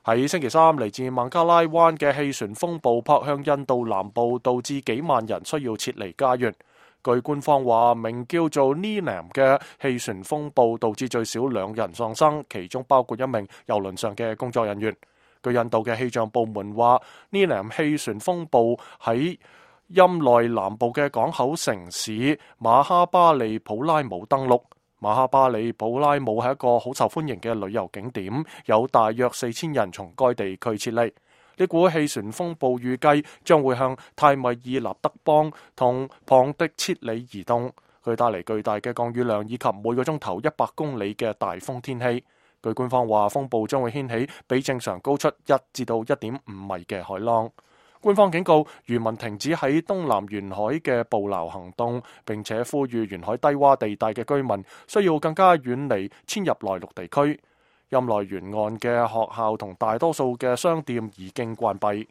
喺星期三，嚟自孟加拉灣嘅氣旋風暴撲向印度南部，導致幾萬人需要撤離家園。據官方話，名叫做 Nilam 嘅氣旋風暴導致最少2人喪生，其中包括一名郵輪上嘅工作人員。據印度嘅氣象部門話，Nilam 氣旋風暴喺欽內南部嘅港口城市馬哈巴利普拉姆登陸。馬哈巴里普拉姆係一個好受歡迎嘅旅遊景點，有大約4000人從該地區撤離。呢股氣旋風暴預計將會向泰米爾納德邦同龐迪切里移動，佢帶嚟巨大嘅降雨量以及每個鐘頭100公里嘅大風天氣。據官方話，風暴將會掀起比正常高出1至到1.5米嘅海浪。官方警告漁民停止喺東南沿海嘅捕撈行動，並且呼籲沿海低洼地帶嘅居民需要更加遠離遷入內陸地區。欽內沿岸嘅學校同大多數嘅商店已經關閉。